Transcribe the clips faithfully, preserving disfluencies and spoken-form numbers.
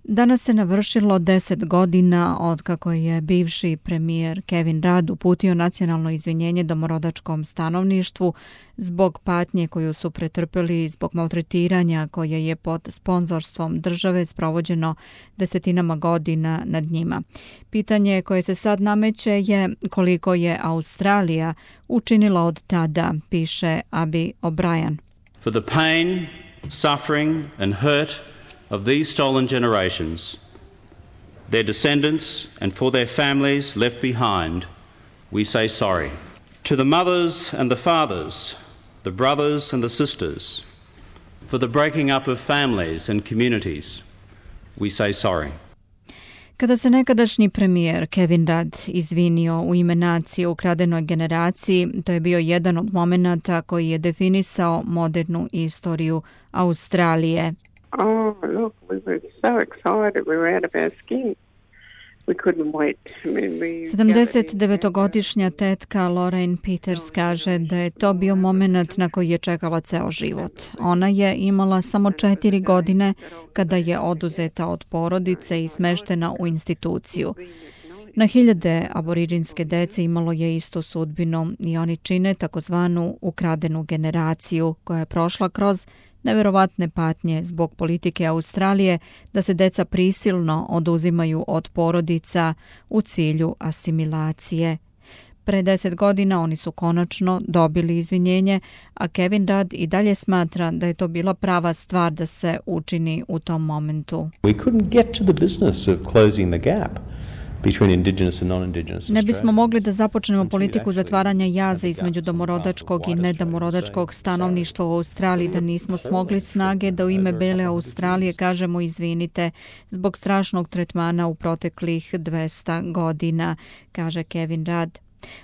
Danas se navršilo deset godina od kako je bivši premijer Kevin Rudd uputio nacionalno izvinjenje domorodačkom stanovništvu zbog patnje koju su pretrpeli zbog maltretiranja koje je pod sponzorstvom države sprovođeno desetinama godina nad njima. Pitanje koje se sad nameće je koliko je Australija učinila od tada, piše Abi O'Brien. For the pain, suffering and hurt of these stolen generations, their descendants and for their families left behind, we say sorry. To the mothers and the fathers, the brothers and the sisters, for the breaking up of families and communities, we say sorry. Kada se nekadašnji premijer Kevin Rudd izvinio u ime nacije ukradenoj generaciji, to je bio jedan od momenata koji je definisao modernu istoriju Australije. Oh, look, we were so excited. We were out of our skin. We couldn't wait. I mean, we sedamdesetdevetogodišnja tetka Lorraine Peters kaže da je to bio moment na koji je čekala ceo život. Ona je imala samo četiri godine kada je oduzeta od porodice i smeštena u instituciju. Na hiljade aboriđinske dece imalo je istu sudbinu i oni čine takozvanu ukradenu generaciju koja je prošla kroz neverovatne patnje zbog politike Australije da se deca prisilno oduzimaju od porodica u cilju asimilacije. Pre deset godina oni su konačno dobili izvinjenje, a Kevin Rudd i dalje smatra da je to bila prava stvar da se učini u tom momentu. We couldn't get to the business of closing the gap. Ne bismo mogli da započnemo politiku zatvaranja jaza između domorodačkog i nedomorodačkog stanovništva u Australiji da nismo smogli snage da u ime bele Australije kažemo izvinite zbog strašnog tretmana u proteklih dvesta godina, kaže Kevin Rudd.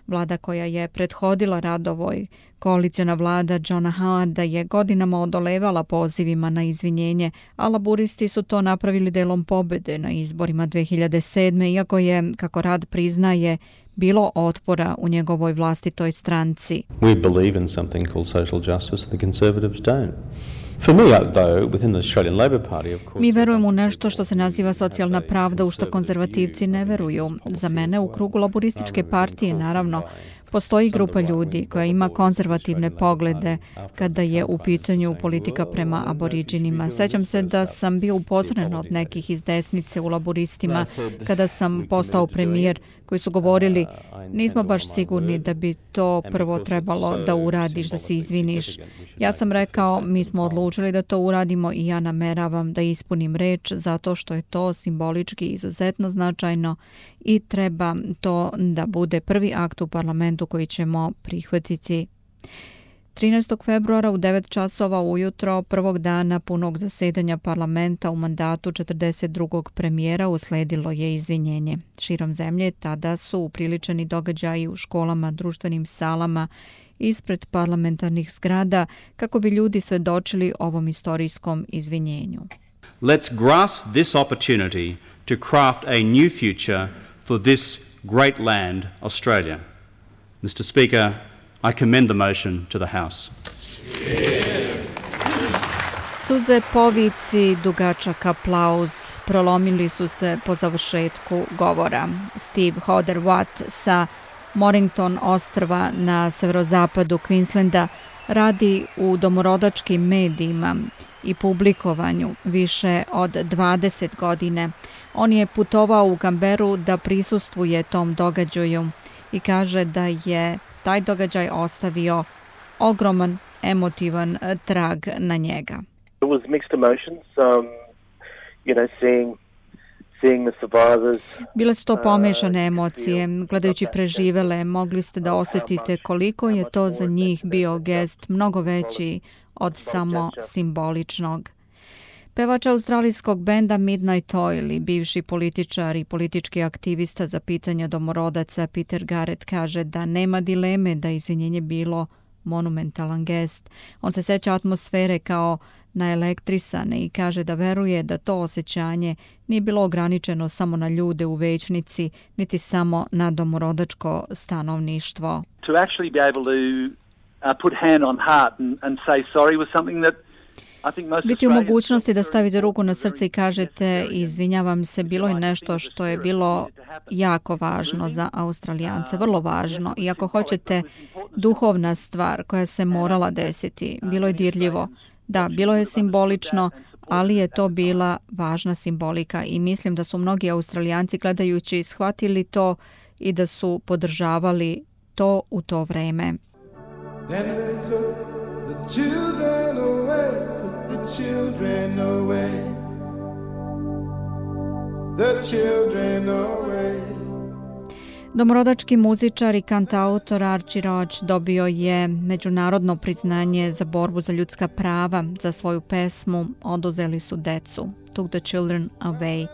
Vlada koja je prethodila Ruddovoj, koaliciona vlada Johna Howarda, je godinama odolevala pozivima na izvinjenje, a laburisti su to napravili delom pobede na izborima dve hiljade sedme, iako je, kako Rudd priznaje, bilo otpora u njegovoj vlastitoj stranci. We believe in something called social justice, the Conservatives don't. For me, though, within the Australian Labor Party, of course, Mi verujemo u nešto što se naziva socijalna pravda, u što konzervativci ne veruju. Za mene u krugu laborističke partije, naravno, postoji grupa ljudi koja ima konzervativne poglede kada je u pitanju politika prema aboriđinima. Sećam se da sam bio upozoren od nekih iz desnice u laboristima kada sam postao premijer, koji su govorili nismo baš sigurni da bi to prvo trebalo da uradiš, da se izviniš. Ja sam rekao mi smo odlučili da to uradimo i ja nameravam da ispunim reč zato što je to simbolički izuzetno značajno i treba to da bude prvi akt u parlamentu koji ćemo prihvatiti. trinaestog februara u devet časova ujutro prvog dana punog zasedanja parlamenta u mandatu četrdeset drugog premijera usledilo je izvinjenje. Širom zemlje tada su upriličeni događaji u školama, društvenim salama, ispred parlamentarnih zgrada kako bi ljudi svedočili ovom istorijskom izvinjenju. Let's grasp this opportunity to craft a new future for this great land, Australia. Mister Speaker, I commend the motion to the House. Suze, povici, dugačak aplauz prolomili su se po završetku govora. Steve Hodder Watt sa Mornington ostrva na severozapadu Queenslanda radi u domorodačkim medijima i publikovanju više od dvadeset godine. On je putovao u Canberru da prisustvuje tom događaju i kaže da je taj događaj ostavio ogroman emotivan trag na njega. It was mixed emotions, um, you know, seeing seeing the survivors. Bile su to pomešane emocije. Gledajući preživele, mogli ste da osjetite koliko je to za njih bio gest mnogo veći od samo simboličnog. Pevač australijskog benda Midnight Oil i bivši političar i politički aktivista za pitanja domorodaca Peter Garrett kaže da nema dileme da izvinjenje bilo monumentalan gest. On se seća atmosfere kao naelektrisane i kaže da veruje da to osjećanje nije bilo ograničeno samo na ljude u večnici, niti samo na domorodačko stanovništvo. To actually be able to uh, put hand on heart and, and say sorry was something that Biti u mogućnosti da stavite ruku na srce i kažete izvinjavam se, bilo je nešto što je bilo jako važno za Australijance, vrlo važno. I ako hoćete duhovna stvar koja se morala desiti, bilo je dirljivo. Da, bilo je simbolično, ali je to bila važna simbolika i mislim da su mnogi Australijanci gledajući shvatili to i da su podržavali to u to vreme. Then they took the children away, took the children away, the children away. Domorodački muzičar i kantautor Archie Roach dobio je međunarodno priznanje za borbu za ljudska prava za svoju pesmu Oduzeli su decu, Took the Children Away.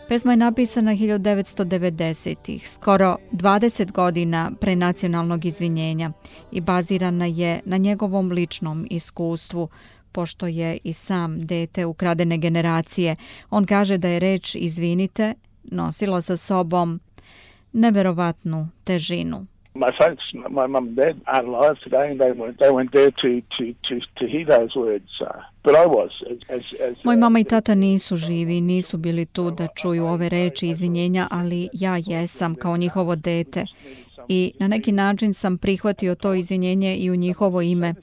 Pesma je napisana hiljadu devetsto devedesetih, skoro dvadeset godina pre nacionalnog izvinjenja i bazirana je na njegovom ličnom iskustvu, pošto je i sam dete ukradene generacije. On kaže da je reč izvinite nosila sa sobom neverovatnu težinu. My folks, my mum and dad aren't alive today, and they weren't, they weren't there to, to, to, to hear those words. Uh, but I was. As, as, Moj mama i tata nisu živi, nisu bili tu da čuju ove reči izvinjenja, ali ja jesam kao njihovo dete. I na neki način sam prihvatio to izvinjenje i u njihovo ime.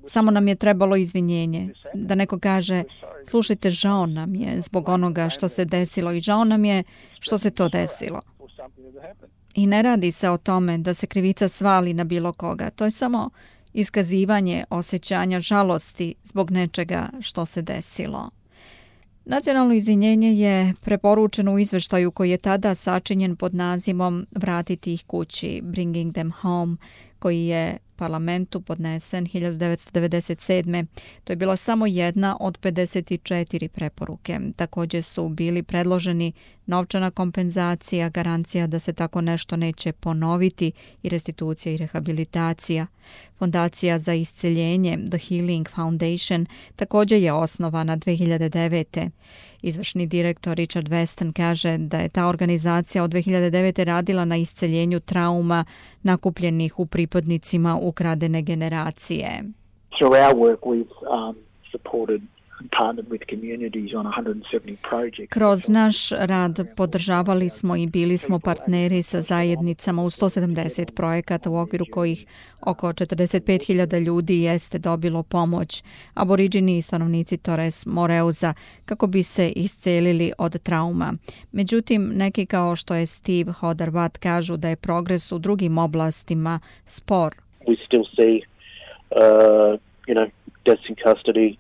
Samo nam je trebalo izvinjenje. Da neko kaže, slušajte, žao nam je zbog onoga što se desilo i žao nam je što se to desilo. I ne radi se o tome da se krivica svali na bilo koga. To je samo iskazivanje osjećanja žalosti zbog nečega što se desilo. Nacionalno izvinjenje je preporučeno u izveštaju koji je tada sačinjen pod nazivom Vratiti ih kući, Bringing them home, koji je parlamentu podnesen hiljadu devetsto devedeset sedme. To je bila samo jedna od pedeset četiri preporuke. Također su bili predloženi novčana kompenzacija, garancija da se tako nešto neće ponoviti i restitucija i rehabilitacija. Fondacija za isceljenje The Healing Foundation također je osnovana dve hiljade devete. Izvršni direktor Richard Weston kaže da je ta organizacija od dve hiljade devete radila na isceljenju trauma nakupljenih u pripadnicima ukradene generacije. Through our work we've um, supported and partnered with communities on one hundred seventy projects. Kroz naš rad podržavali smo i bili smo partneri sa zajednicama u sto sedamdeset projekata u okviru kojih oko četrdeset pet hiljada ljudi jeste dobilo pomoć, aboriđini i stanovnici Torres Moreuza, kako bi se iscelili od trauma. Međutim, neki kao što je Steve Hodder-Watt kažu da je progres u drugim oblastima spor. We still see, uh, you know, deaths in custody,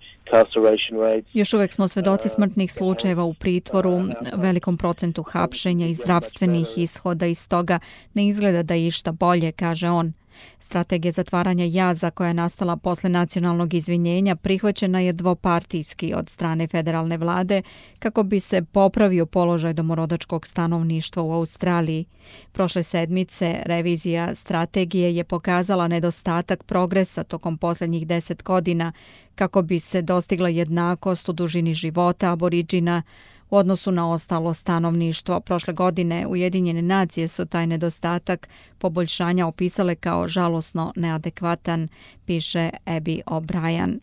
Još uvijek smo svedoci smrtnih slučajeva u pritvoru, velikom procentu hapšenja i zdravstvenih ishoda, i stoga ne izgleda da je išta bolje, kaže on. Strategija zatvaranja jaza koja je nastala posle nacionalnog izvinjenja prihvaćena je dvopartijski od strane federalne vlade kako bi se popravio položaj domorodačkog stanovništva u Australiji. Prošle sedmice revizija strategije je pokazala nedostatak progresa tokom posljednjih deset godina kako bi se dostigla jednakost u dužini života aboriđina u odnosu na ostalo stanovništvo. Prošle godine Ujedinjene nacije su taj nedostatak poboljšanja opisale kao žalosno neadekvatan, piše Abby O'Brien.